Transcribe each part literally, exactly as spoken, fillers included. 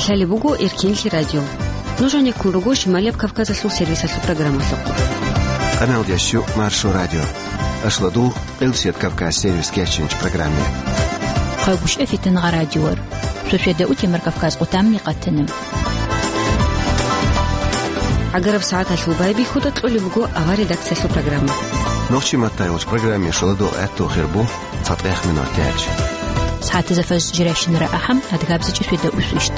Лъалеб буго Эркенлъи радио. Нуж гьанеккун руго Шималияб Кавказалъул сервисалъул программалъухъ. Къаналдиясчу Маршо радио. Ашладул Къилсият Кавказ сервис кечинч программе. Хъагушев Фитнагъа радиор. Сосведа утемар Кавказ къутамни къатана. ГӀагараб сагӀаталъул байбихьуда кьолеб буго авар редакциялъул программа. Нохчи маттайолч программе шаладул гӀатту хирбу цатӀех минут тяч. СагӀатазда фаз жиращинара ахӀам адгабзичӀи сосведа усвищт.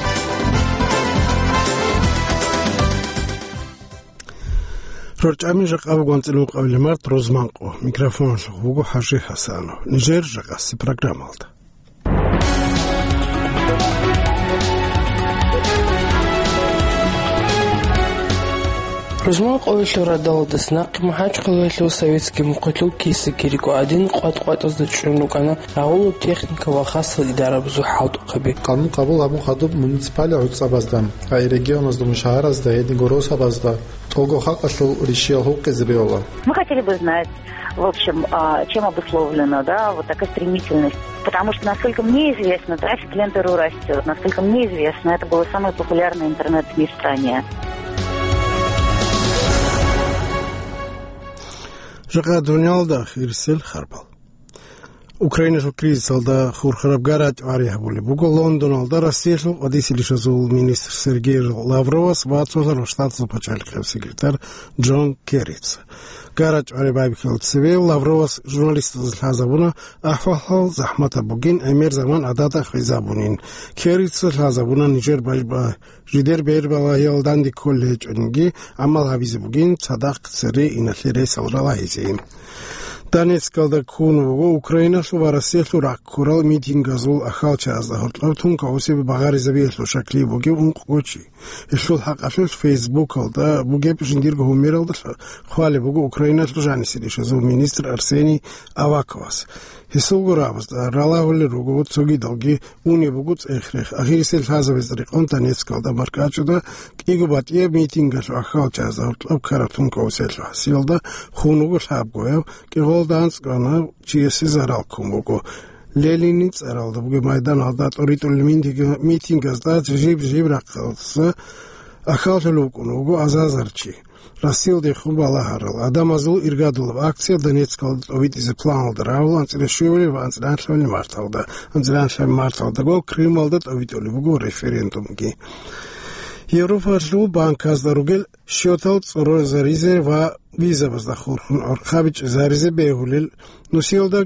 РорчӀами жакъа буго анцӀила ункъабилеб март, рузманкъо. Микрофоналъухъ буго ХӀажи ХӀасанов. Нижер жакъаси программалда. Рузман къоялъул радалдас нахъе МухӀажгьалаялъул советский мухъалъул кесекги рикӀкӀад гӀадин къватӀ-къватӀазда чӀун рукӀана рагъулаб техника ва хасал идарабазул хӀалтӀухъаби. Къанун къабул гьабун хадуб муниципалияб гӀуцӀабазда, ай регионазда, мун шагьаразда, гьединго росабазда тӀолго халкъалъул ришиял гьукъизе бегьула. Мы хотели бы знать, в общем, а, чем обусловлена, да, вот такая стремительность. Потому что, насколько мне известно, трафик Лен.ру растёт. Насколько мне известно, это было самое популярное интернет-СМИ в стране. Жакъа дуниялда хирисел харбал. Украиналъул кризисалда хурхараб гарачӀ гӀари гьабулеб буго Лондоналда Россиялъул къватӀисел ришазул министр Сергей Лавровас ва Цолъарал Штатазул пачалихъияб секретарь Джон Керрица. ГарачӀ гӀари байбихьулеб цебе Лавровас журналистазда лъазабуна ахӀвал-хӀал захӀматаб бугин, гӀемер заман гӀадада хвезабунин. Керрица лъазабуна нижер бай-, ба-, жидер бер-балагьиял данде кколел гьечӀониги гӀамал гьабизе бугин, цадахъ цере иналъе ресал ралагьизе. Донецкалда ккун буго Украиналъул ва Россиялъул рахъ ккурал митингазул ахьалчаразда гьоркьоб тункаусеб багъаризабиялъул щаклъи бугеб ункъго чи. Гьелъул хӀакъалъулъ Фейсбукалда бугеб жиндирго гьумералда хвалеб буго Украиналъул жанисел ишазул министр Арсений Аваковас. Гьесулго рагӀабазда ралагьулел руго цогидалги унеб буго цӀех-рех. Ахирисел лъазабизе рекъон Донецкалда маркӀачӀуда кӀиго батӀияб митингалъул ахьалчаразда гьоркьоб ккараб тункаусиялъул хӀасилалда хун вуго лъабгояб, кӀикъоялда анцӀгояб чиясе зарал ккун буго. Ленинил цӀаралда бугеб майданалда тӀоритӀулел митинг-, митингазда жиб-жиб рахъалдаса ахьаллъулев вукӀун вуго азар-азар чи. Россиялдехун балагьарал гӀадамазул иргадулаб акция Донецкалда тӀобитӀизе планалда рагӀула анцӀила щуабилеб ва анцӀила анлъабилеб марталда. АнцӀила анлъабилеб марталдаго Крымалда тӀобитӀулеб буго референдумги. Европалъул банказда ругел счётал цӀорозаризе ва визабазда хурхун гӀорхъаби чӀезаризе бегьулел нусиялда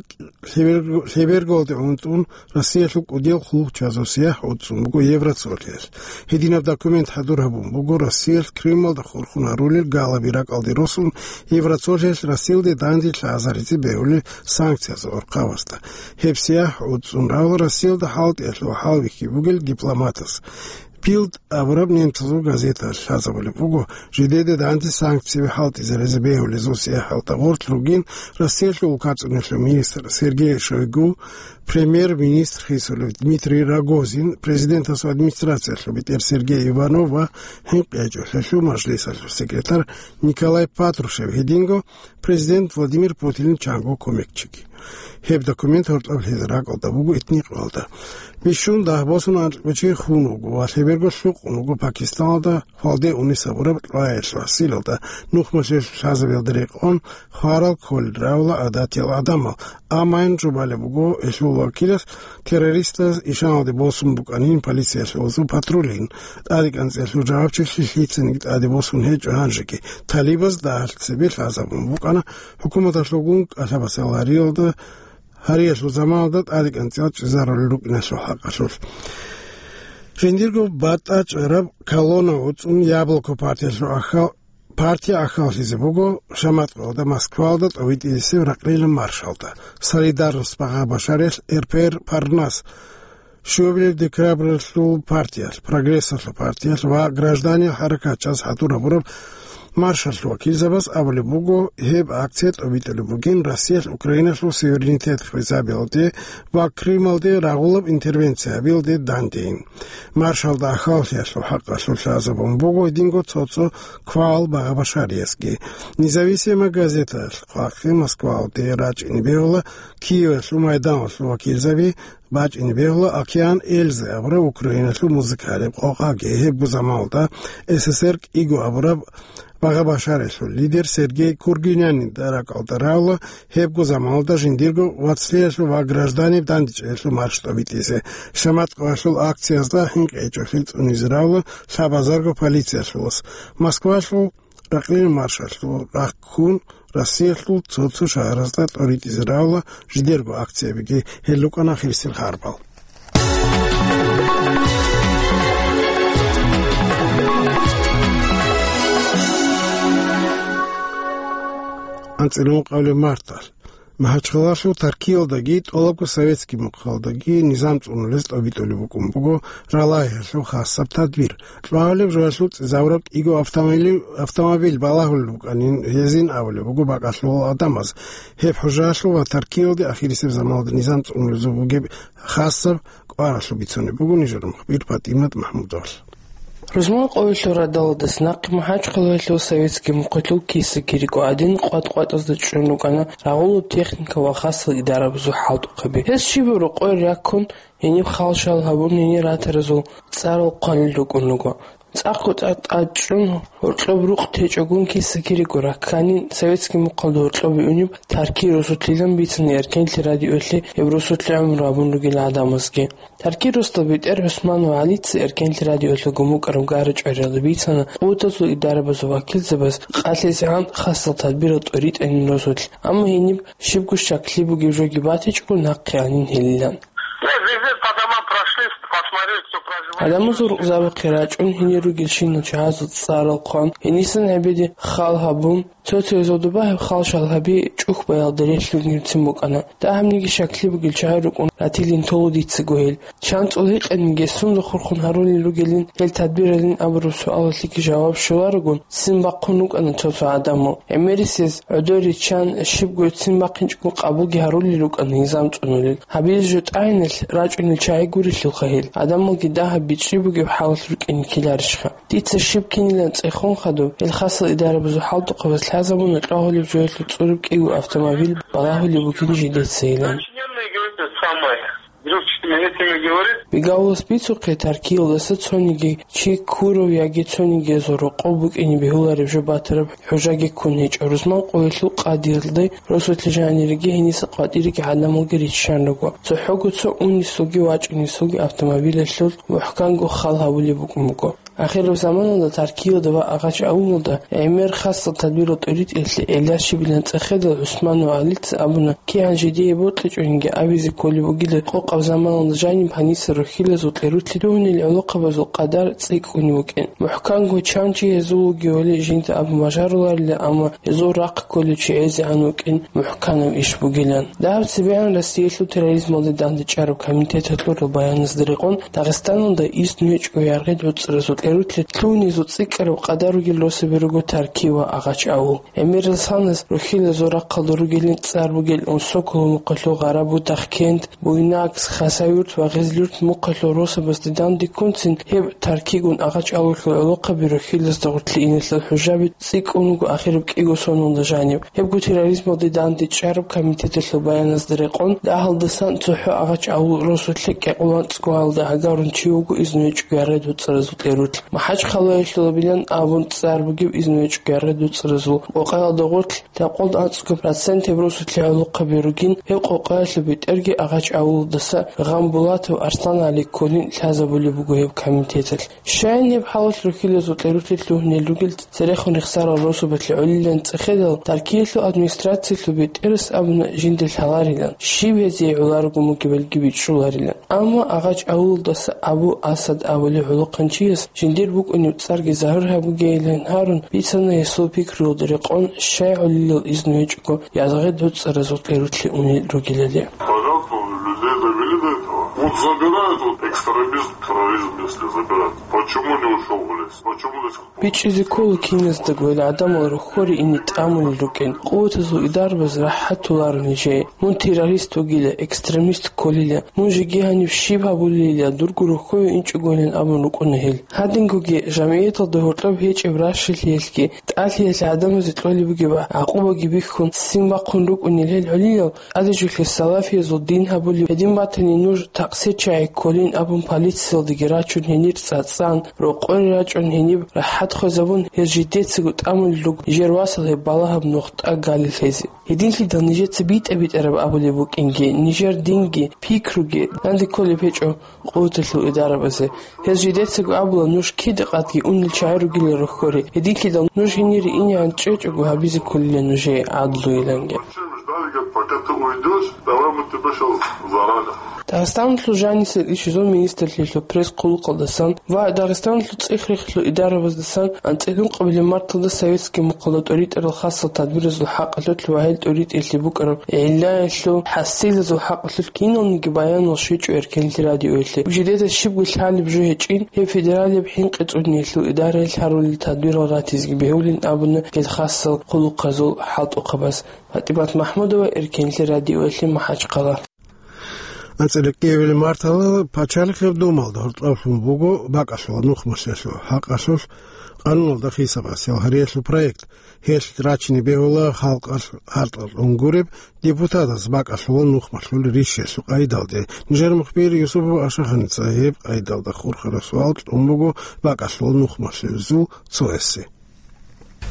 лъеберго-, лъеберголде гӀунтӀун Россиялъул кӀудиял хъулухъчазул сияхӀ гӀуцӀцӀун буго Евроцолъиялъ. Гьединаб документ хӀадур гьабун буго Россиялъ Крымалда хурхун гьарулел галаби ракӀалде росун, Евроцолъиялъ Россиялде данде лъазаризе бегьулел санкциязул гӀорхъабазда. Гьеб сияхӀ гӀуцӀцӀун рагӀула Россиялда хӀалтӀиялъул хӀалбихьи бугел дипломатас. Билд абураб немцазул газеталъ лъазабулеб буго, жидеде данде санкцияби хӀалтӀизаризе бегьулезул сияхӀалда гъорлъ ругин Россиялъул улкацӀуналъул министр Сергей Шойгу, премьер-министр хисулев Дмитрий Рогозин, президентасул администрациялъул бетӀер Сергей Иванов ва ХӀинкъи гьечӀолъиялъул мажлисалъул секретарь Николай Патрушев, гьединго президент Владимир Путинил чанго кумекчиги. Гьеб документ гьоркьоб лъезараб ракӀалда буго итни кьвалда. Бищун дагь босун анкьго чи хун вуго ва лъеберго лъукъун вуго Пакистаналда хвалде унес гьабураб кьваялъул хӀасилалда. Нухмалъе лъазабиялда рекъон хварал кколел рагӀула гӀадатиял гӀадамал. Амма гьанже балеб буго гьелъул вакилас террористаз ишаналде босун букӀанин полициялъул патрулин. ТӀадекӀанцӀиялъул жавабчилъи лъицаниги тӀаде босун гьечӀо гьанжеги. Талибаз дагьалъ цебе лъазабун букӀана ХӀукуматалъулгун кӀалъабасал гьариялда, гьариялъул заманалда тӀадекӀанцӀиял чӀезарулел рукӀиналъул хӀакъалъулъ. Жиндирго батӀа чӀараб колонна гӀуцӀун Яблоко партиялъул ахал-, партия ахаллъизе буго Шаматкъалда Москвалда тӀовитӀисеб ракълилан маршалда, Солидарность багъа башариялъ РПР Парнас, щуабилеб декабралъул партиялъ, Прогрессалъул партиялъ ва гражданиял хӀаракатчияс хӀадур гьабураб маршалъул вакилзабаз абулеб буго, гьеб акция тӀобитӀулеб бугин Россиялъ Украиналъул суверенитет хвезабиялде ва Крымалде рагъулаб интервенция гьабиялде дандейин. Маршалда ахаллъиялъул хӀакъалъулъ лъазабун буго гьединго цо-цо квал багъа башариязги. Независимая газеталъ хъвахъи Москвалде рачӀине бегьула Киевалъул майданалъул вакилзаби бачӀине бегьула «Океан Эльзы» абураб Украиналъул музыкалияб къокъаги. Гьебго заманалда С С С Р кӀиго абураб багъа-башараялъул лидер Сергей Кургинянида ракӀалда равла гьебго заманалда жиндирго вацлъиялъул ва гражданиб дандечӀеялъул марш тӀобитӀизе. Шаматкъоялъул акциязда хӀинкъичӀолъи цӀунизе равла лъабазарго полициялъулас. Москвалъул ракълил маршалъул рахъ ккун, Россиялъул цо-цо шагьаразда тӀоритӀизе равла жидерго акциябиги. Гьел рукӀана хирсил харбал. АнцӀила ункъабилеб марталъ МахӀачхъалалъул Таркиялдаги тӀолабго советский мухъалдаги низам цӀунулез тӀобитӀулеб букӀун буго Ралагьиялъул хасаб тадбир. Кьвагьалеб жоялъул цӀезавураб кӀиго автомобиль, автомобиль балагьулел букӀанин гьезин абулеб буго бакӀалъулал гӀадамаз. Гьеб хӀужаялъул ва Таркиялде ахирисеб заманалда низам цӀунулезул бугеб хасаб кӀваралъул бицунеб буго нижер мухбир ПатӀимат МахӀмудовал. Рузман къоялъул радалдаса нахъе МахӀачхъалаялъул советский мухъалъул киса-кириго гӀадин къватӀ-къватӀазда чӀун рукӀана рагъулаб техника ва хасал идарабазул хӀалтӀухъаби. Гьез щибаб рокъой раккун, гьениб хал-шал гьабун, гьенир ратаразул цӀарал хъвалел рукӀун руго. ЦӀакъго тӀад-тӀад чӀун, гьоркьоб рукъ течӀогун киса-кириго ракканин, советский мухъалда гьоркьобе унеб Тарки росулъилан бицана Эркенлъи радиоялъе гьеб росулъе гӀумру гьабун ругел гӀадамазги. Тарки росдал бетӀер ГӀусманов ГӀалица Эркенлъи радиоялъул гумукӀараб гара-чӀвариялда бицана къуватазул идарабазул вакилзабаз къалъизегӀан хасал тадбирал тӀоритӀанин росулъ, амма гьениб щибго щаклъи бугеб жоги батичӀого нахъе анин гьелилан. Гьадамазул рукъзабахъе рачӀун гьенир ругелщинал чагӀазул цӀарал хъван, гьенисан гьебеде хал гьабун, цо-цояз гьудубагьаб хал-шал гьаби чӀухь баялда релълъун гьирцин букӀана. Дагьабниги щаклъи бугел чагӀи рукӀун ратилин толо дицаго гьел. ЧанцӀул гьикъаниги сунда хурхун гьарулел ругелин гьел тадбиралин абураб суалалъеги жаваб щоларогун, ццин бахъун рукӀана цо-цо гӀадамал. ГӀемерисез гӀодор риччан, щибго ццин бахъинчӀого къабулги гьарулел рукӀана низам цӀунулел. Гьабизе жо тӀагӀиналъ рачӀунел чагӀи гурелъулха гьел. ГӀадамалги дагьаб бичӀчӀи бугеб хӀалалъ рукӀине ккеларищха? Дица щиб кинилан цӀехун хадуб, гьел хасал идарабазул хӀалтӀухъабаз лъазабуна кьвагьулеб жоялъул цӀураб кӀиго автомобиль балагьулеб бугин жидецайилан. Бигалулас бицухъе, Таркиялдаса цониги чи ккурав яги цонигиязул рокъов букӀине бегьулареб жо батараб хӀужаги ккун гьечӀо. Рузман къоялъул къадиялде росулъе жанириги гьениса къватӀириги гӀадамалги риччан руго. ЦохӀого цо унисулги вачӀунисулги автомобилялъул мухӀканго хал гьабулеб букӀун буго. Ахираб заманалда Таркиялда ва Агъач авулалда гӀемер хасал тадбирал тӀоритӀиялъе гӀелар щибилан цӀехедал ГӀусманов ГӀалица абуна, кигӀан жидее бокьичӀониги абизе кколеб бугила къокъаб заманалда жаниб гьаниса рухьилазул кьерулъе тугьунел гӀолохъабазул къадар цӀикӀкӀунеб букӀин. МухӀканго чан чи гьезул вугевали жинда абун бажаруларила, амма гьезул рахъ кколев чи гӀезегӀан вукӀин мухӀканаб иш бугилан. Дагьаб цебегӀан Россиялъул терроризмалде дандечӀараб комитеталъул баяназда рекъон, Дагъистаналда изну гьечӀого яргъи-дуцӀразул кьерулъе лъугьунезул цӀикӀкӀараб къадар ругел росаби руго Тарки ва Агъач авул. ГӀемерал санас рухьилазул рахъалда ругелин цӀар бугел Унсоколо мухъалъул Гъарабудахъ кент, Буйнакск, Хасавюрт ва Гъезлюрт мухъалъул росабазде дандеккунцин гьеб Таркигун Агъач авулъул гӀолохъаби рухьилазда гъорлъе иналъул хӀужаби цӀикӀкӀун руго ахираб кӀиго соналда жаниб. Гьебго терроризмалде дандечӀараб комитеталъул баяназда рекъон, дагьалдасан цохӀо Агъач авул росулъе кӀикъоялда анцӀго гьалда гӀагарун чи вуго изну гьечӀого яргъи-дуцӀразул кьерулъ. МахӀачхъалаялъулабилан абун цӀар бугеб изну гьечӀого яргъи-дуцӀразул къокъаялда гъорлъ дакъалда анцӀго процент гьеб росулъе гӀолохъаби ругин, гьеб къокъаялъул бетӀерги Агъач авулалдаса Гъамбулатов АрсланагӀали кколин лъазабулеб буго гьеб комитеталъ. Щайин гьеб хӀалалъ рухьилазул кьерулъе лъугьунел ругел церехун рехсарал росабалъе гӀолилан цӀехедал, Таркиялъул администрациялъул бетӀерас абуна жинда лъаларилан, щиб гьезие гӀоларого мугебалги бичӀчӀуларилан. Амма Агъач авулалдаса Абу Асад абулев гӀолохъанчияс жиндир букӀунеб цӀарги загьир гьабугейилан гьарун, бицана гьесул пикруялда рекъон, щай гӀолилал изну гьечӀого яргъи-дуцӀразул кьерулъе унел ругелали. Пожалуйста, людей довели до этого. Вот забирают, вот Экстремизм, терроризм, если забирать. Почему не ушел в лес? Почему до сих пор? БичӀчӀизе ккола киназдаго гьел гӀадамал рохьоре ине тӀамулел рукӀин, къуватазул идарабаз рахӀат толаро нижее. Мун террорист вугила, экстремист кколила, мун жеги гьаниб щиб гьабулелила, дурго рохьове инчӀогойилан абун рукӀуна гьел. Гьадингоги жамгӀияталда гьоркьоб гьечӀеб ращалъиялъги, тӀалъиялъ гӀадамазе кьолеб бугеб гӀакъубаги бихьун, ццин бахъун рукӀунел гьел гӀолилал, тӀаде жолъе салафиязул дин гьабулеб гьедин батани, нуж такъсирчагӀи кколин абун, полициялдаги рачун, гьенир цӀацӀан, рокъоре рачӀун, гьениб рахӀат хвезабун, гьез жидецаго тӀамулел руго нижер васал гьеб балагьаб нух тӀаде лъезе. Гьединлъидал нижеца битӀа-битӀараб абулеб букӀинги, нижер динги, пикруги данде кколеб гьечӀо къуваталъул идарабазе. Гьез жидецаго абула, нуж кида къадги унел чагӀи ругила рохьоре. Гьединлъидал нуж гьенире инегӀан чӀечӀого гьабизе кколила нужее гӀадлуйиланги. Ждали, говорит, пока ты уйдёшь, давай мы тебя щас заразим. Дагъистаналъул жанисел ишазул министрлъиялъул пресс-хъулухъалдасан ва Дагъистаналъул цӀех-рехилъул идарабаздасан анцӀила ункъабилеб марталда советский мухъалда тӀуритӀарал хасал тадбиразул хӀакъалъулъ ва гьел тӀуритӀиялъе букӀараб гӀиллаялъул хӀасилазул хӀакъалъулъ киналниги баянал щвечӀо Эркенлъи радиоялъе. Жидеда щибго лъалеб жо гьечӀин, гьеб федералияб хӀинкъи цӀуниялъул идараялъ гьарулел тадбирал ратизеги бегьулин абуна гьел хасал хъулухъазул хӀалтӀухъабаз. ПатӀимат МахӀмудова, Эркенлъи радиоялъе, МахӀачхъала. АнцӀила кӀиабилеб марталда Пачалихъаб Думалда гьоркьоблъун буго бакӀалъула нухмалъиялъул хӀакъалъулъ къануналда хисабасел гьариялъул проект. Гьелъ рачине бегьула халкъалъ гьартӀал унгуреб депутатаз бакӀалъула нухмалъулел ришиялъул къайдалде. Нижер мухбир Юсупов Ашаханица гьеб къайдалда хурхараб суал кьун буго бакӀалъула нухмалъулезул цоясе.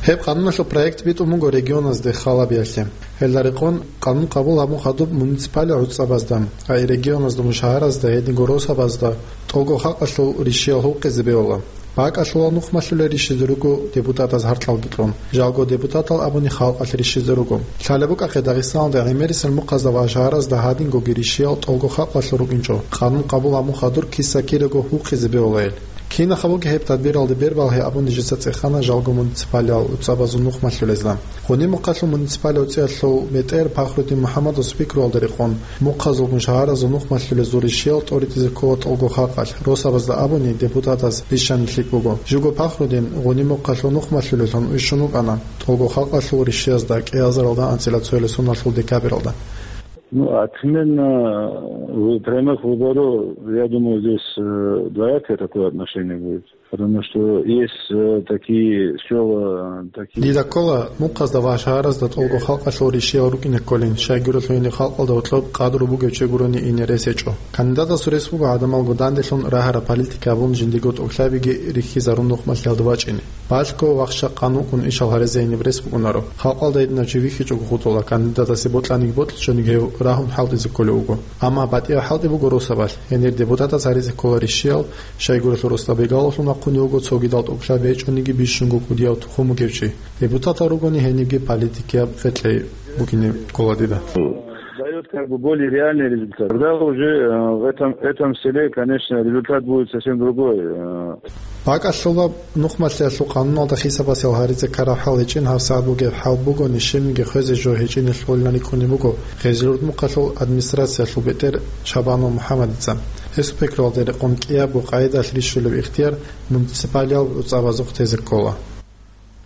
Гьеб къануналъул проект битӀун буго регионазде халабиялъе. Гьелда рекъон къанун къабул гьабун хадуб муниципалияб гӀуцӀабазда, ай регионазда, мун шагьаразда, гьединго росабазда тӀолго халкъалъул ришиял гьукъизе бегьула. БакӀалъула нухмалъулел ришизе руго депутатаз гьартӀалги кьун. Жалго депутатал абуни халкъалъ ришизе руго. Лъалеб букӀахъе Дагъистаналда гӀемерисел мухъазда ва шагьаразда гьадингоги ришиял тӀолго халкъалъул рукӀинчӀо, къанун къабул гьабун хадур киса-кираго гьукъизе бегьулайил. Кинаха буго гьеб тадбиралде бербалгьи абун нижеца цӀехана жалго муниципалиял гӀуцӀабазул нухмалъулезда. Гъуниб мухъалъул муниципалиял гӀуцӀиялъул бетӀер Пахрудин МухӀаммадасул пикруялда рекъон, мухъазулгун шагьаразул нухмалъулезул ришиял тӀоритӀизе ккола тӀолго халкъалъ, росабазда абуни депутатаз ришани лъикӀ буго. Живго Пахрудин гъуниб мухъалъул нухмалъулелъун вищун вукӀана тӀолго халкъалъул ришиязда кӀиазаралда анцӀила цоялъ суналъул декабралда. Ну, а примерно, э, вы-, прямых выборов, я думаю, здесь, э, двоякое такое отношение будет. Потому что есть, э, такие села, такие... Дида ккола, мухъазда ва шагьаразда тӀолго халкъалъул ришиял рукӀине кколин, щайгурелъул гьениб халкъалда гьоркьоб къадру бугев чи гурони ине рес гьечӀо. Кандидатасул рес буго гӀадамалго данделъун рагьараб политика гьабун жиндиего тӀокӀлъабиги рихьизарун нухмалъиялда вачӀине. Балъго вахща къан вукӀун ишал гьаризе гьениб рес букӀунаро. Халкъалда гьединав чи вихьичӀого хутӀула, кандидатасе бокьаниги бокьичӀониги гьев рагьун хӀалтӀизе кколев вуго. Амма батӀияв хӀалтӀи буго росабалъ. Гьенир депутатаз гьаризе ккола ришиял, щайгурелъул росдабигалалъун вахъунев вуго цогидал тӀокӀлъаби гьечӀониги бищунго кӀудияв тухум бугев чи. Депутатал ругони гьенибги политикияб къеркьей букӀине ккола дида. Даёт как бы более реальный результат. Тогда уже, э, в этом, этом селе, конечно, результат будет совсем другой, э. БакӀалъула нухмалъиялъул къануналда хисабасел гьаризе ккараб хӀал гьечӀин, гьабсагӀат бугеб хӀал бугони, щибниги хвезе жо гьечӀинелъулилан рикӀкӀунеб буго Хезилурд мухъалъул администрациялъул бетӀер Чабанов МухӀаммадица. Гьесул пикруялда рекъон кӀиябго къайдалъ рищулеб ихтияр муниципалиял гӀуцӀабазухъ тезе ккола.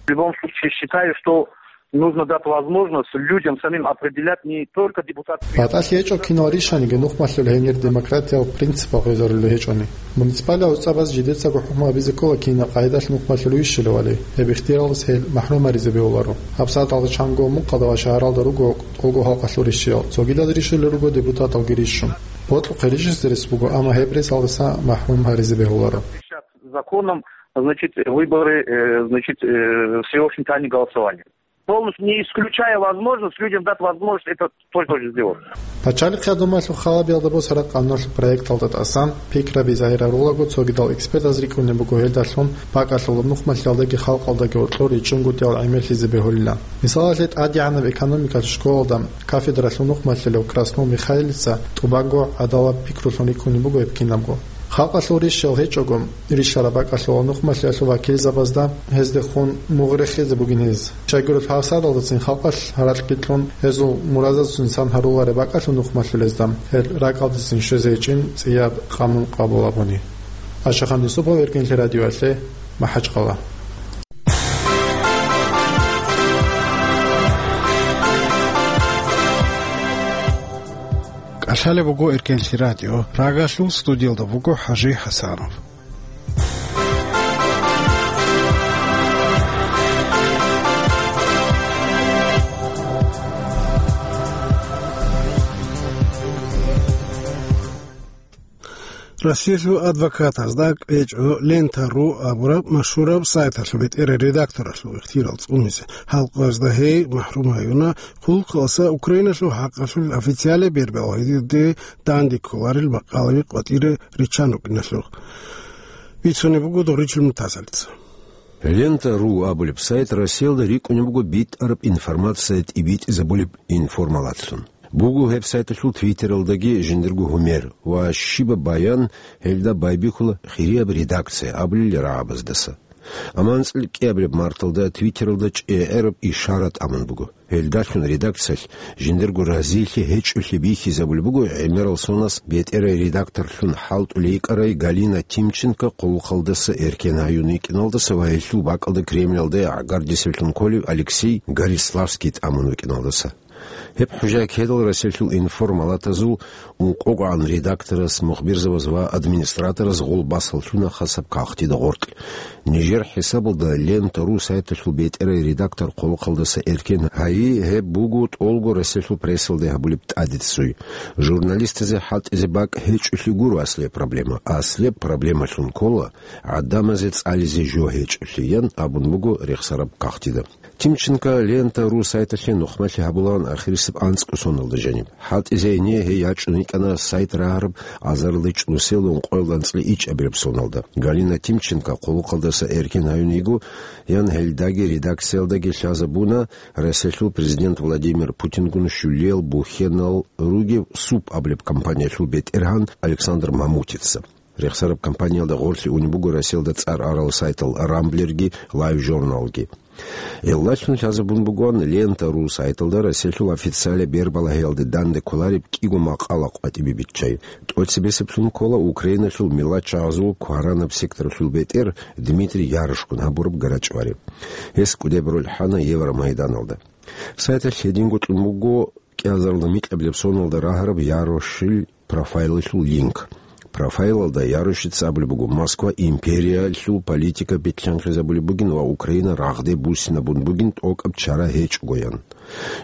В любом случае, считаю, что нужно дать возможность людям самим определять не только депутатские... БатӀалъи гьечӀо кинал ришаниги нухмалъул гьенир демократиял принципал гъезарулел гьечӀони. Муниципалиял гӀуцӀабаз жидецаго хӀукму гьабизе ккола кинаб къайдалъ нухмалъулев вищулевали, гьеб ихтияралдаса гьел махӀрум гьаризе бегьуларо. ГьабсагӀаталда чанго мухъалда ва шагьаралда руго тӀолго халкъалъул ришиял, цогидаз ришулел руго депутаталги рищун. Бокьухъе ришизе рес буго, амма гьеб ресалдаса махӀрум гьаризе бегьуларо. Законом, значит, выборы, э, значит, э, всеобщим тайным голосованием. Полностью не исключая возможность людям дать возможность это тоже, тоже сделать. Пачалихъ гӀадамалъул халабиялда босараб къануналъул проекталда тӀасан пикраби загьираруллаго, цогидал экспертаз рикӀкӀунеб буго гьелдалъун бакӀалъула нухмалъиялдаги халкъалдаги гьоркьор ричӀунгутӀиял гӀемерлъизе бегьулилан. Мисалалъе, тӀадегӀанаб экономикалъул школалда кафедралъул нухмалъулев Краснов Михаилица тӀубанго гӀадалаб пикрулъун рикӀкӀунеб буго гьеб кинабго. Халкъалъул рищал гьечӀого, рищараб бакӀалъула нухмалъиялъул вакилзабазда гьездехун мугъ рехизе бугин гьез. Щайгурелъул гьасадалдацин халкъалъ гьаракьги кьун, гьезул муразазцин сан гьарулареб бакӀалъул нухмалъулезда гьел ракӀалдецин щвезе гьечӀин цӀияб къанун къабул абуни. Ашахъан Юсупов, Эркенлъи радиоялъе, МахӀачкъала. КӀалъалеб буго Эркенлъи радио, рагалъул студиялда вуго ХӀажи ХӀасанов. Россиялъул адвокатазда кьечӀо Лента ру абураб машгьураб сайталъул бетӀерай редакторалъул ихтияр цӀунизе. Гьал къоязда гьей махӀрум гьаюна хъулухъалдаса Украиналъул хӀакъалъулъ официалияб бербал гьединде данде кколарел макъалаби къватӀире риччан рукӀиналъухъ. Бицунеб буго Доричил Мутазалица. Лента ру абулеб сайт Россиялда рикӀкӀунеб буго битӀараб информация тӀибитӀизабулеб информалатлъун. Буго гьеб сайталъул Твиттералдаги жиндирго гьумер ва щибаб баян гьелда байбихьула хирияб редакция абулел рагӀабаздаса. Амма анцӀил кӀиабилеб марталда Твиттералда чӀегӀераб ишара тӀамун буго. Гьелдалъун редакциялъ жиндирго разилъи гьечӀолъи бихьизабулеб буго гӀемерал сонас бетӀерай редакторлъун хӀалтӀулей йикӀарай Галина Тимченко хъулухъалдаса эркен гьаюн йикӀиналдаса ва гьелъул бакӀалда Кремльалда гӀагардисеблъун кколев Алексей Гориславский тӀамун вукӀиналдаса. Гьеб хӀужаялъ гьедал Россиялъул информалатазул ункъогогӀан редакторас, мухбирзабаз ва администраторас гъол басаллъуна хасаб кагътида гъоркь. Нижер хӀисабалда Лента ру сайталъул бетӀерай редактор хъулухъалдаса эркен гьайи гьеб буго тӀолго Россиялъул прессалде гьабулеб тӀадицуй. Журналистазе хӀалтӀизе бакӀ гьечӀолъи гуро аслияб проблема. Аслияб проблемалъун ккола гӀадамазе цӀализе жо гьечӀолъи, ян абун буго рехсараб кагътида. Тимченко Лента ру сайталъе нухмалъи гьабулаан ахирисеб анцӀго соналда жаниб. ХӀалтӀизе гьение гьей ячӀун йикӀана сайт рагьараб азарилда чӀунусел ункъоялда анцӀила ичӀабилеб соналда. Галина Тимченко хъулухъалдаса эркен гьаюн йиго, ян гьелдаги редакциялдаги лъазабуна Россиялъул президент Владимир Путингун щулиял бухьенал ругев СУП абулеб компаниялъул бетӀергьан Александр Мамутица. Рехсараб компаниялда гъорлъе унеб буго Россиялда цӀар арал сайтал Рамблерги Лайв журналги. Гьелдалъун лъазабун бугоан Лента ру сайталда Россиялъул официалияб бербалагьиялде данде кколареб кӀиго макъала къватӀибе биччай. ТӀоцебесеблъун ккола Украиналъул миллатчагӀазул кваранаб секторалъул бетӀер Дмитрий Ярошкун гьабураб гарачӀвари. Гьес кӀудеб роль хӀана Евромайданалда. Сайталъ гьединго кьун буго кӀиазарилда микьабилеб соналда рагьараб Ярошил профайлалъул линк. Профайлалда Ярошица абулеб буго, Москва империялъул политика бикьанхъизабулеб бугин ва Украина рагъде буссинабун бугин тӀокӀаб чара гьечӀогоян.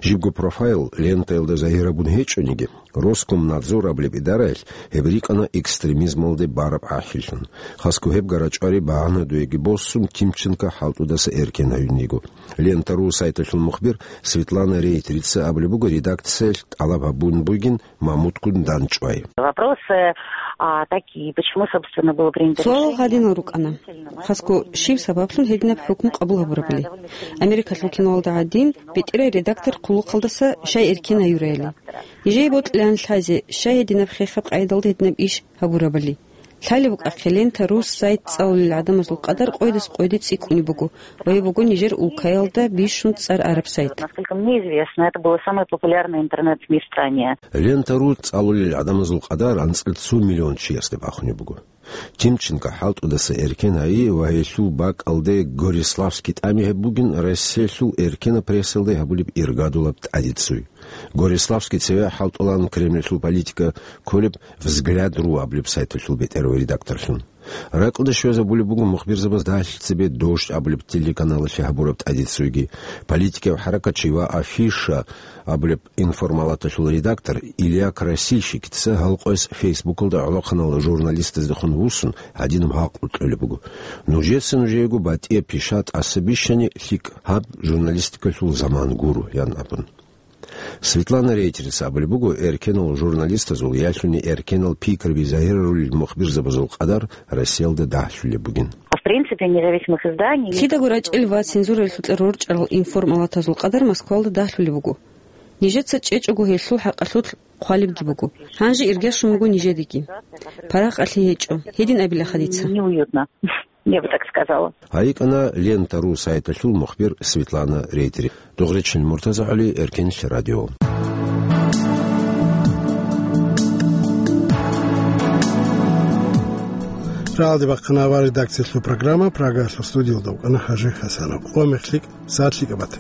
Жибго профайл Лентаялда загьир гьабун гьечӀониги, Роскомнадзор абулеб идараялъ гьеб рикӀкӀана экстремизмалде бараб гӀахьиллъун. Хасго гьеб гарачӀвари багьанадуеги босун, Тимченко хӀалтӀудаса эркен гьаюн йиго. Лента ру сайталъул мухбир Светлана Рейтрица абулеб буго, редакциялъ тӀалаб гьабун бугин Мамуткун данчӀвай. Вопросы, а, такие, почему, собственно, было принято решение... Суалал гьадинал рукӀана. Хасго щиб сабаблъун гьединаб хӀукму къабул гьабурабали? Америкалъул киноялда гӀадин, бетӀерай редактор хъулухъалдаса щай эркен гьаюраяли? Нижее бокьилаан лъазе, щай гьединаб хехаб къайдалда гьединаб иш гьабурабали? Лъалеб букӀахъе, Лента ру сайт цӀалулел гӀадамазул къадар къойдас къойде цӀикӀкӀунеб буго ва гьеб буго нижер улкаялда бищун цӀар араб сайт. Насколько мне известно, это было самое популярное интернет-СМИ в стране. Лента ру цӀалулел гӀадамазул къадар анцӀила цо миллион чиясде бахунеб буго. Тимченко хӀалтӀудаса эркен гьайи ва гьелъул бакӀалде Гориславский тӀами гьеб бугин Россиялъул эркенаб прессалде гьабулеб иргадулаб тӀадицуй. Гориславский цеве хӀалтӀулаан Кремльалъул политика кколеб «Взгляд ру» абулеб сайталъул бетӀерав редакторлъун. РакӀалде щвезабулеб буго мухбирзабаз дагьлъи цебе «Дождь» абулеб телеканалалъе гьабураб тӀадицуйги. Политикияв хӀаракатчи ва «Афиша» абулеб информалаталъул редактор Илья Красильщикица гьал къояс Фейсбукалда гӀолохъанал журналистаздехун вуссун гьадинаб гьакъу кьолеб буго: «Нужеца нужеего батӀияб пиша тӀаса бищани лъикӀ, гьаб журналистикалъул заман гуро», — ян абун. Светлана Рейтрица абулеб буго, эркенал журналистазул ялъуни эркенал пикруби загьирарулел мухбирзабазул къадар Россиялда дагьлъулеб бугин. А в принципе независимых изданий... Лъидаго рачӀел ва цензуралъукьа рорчӀарал информалатазул къадар Москвалда дагьлъулеб буго. Нижеца чӀечӀого гьелъул хӀакъалъулъ хъвалебги буго. Гьанже иргащун вуго нижедеги. Паракъалъи гьечӀо, гьедин абилаха дица. Неуютно, я бы так сказала. ГьайикӀана Лента ру сайталъул мухбир Светлана Рейтери. Дугъричил Муртаза ГӀали, Эркенлъи радио. Рагьалде бахъана авар редакциялъул программа, Прагаялъул студиялда вукӀана ХӀажи ХӀасанов. Къо мехлъи, сагӀат лъикӀаб бата.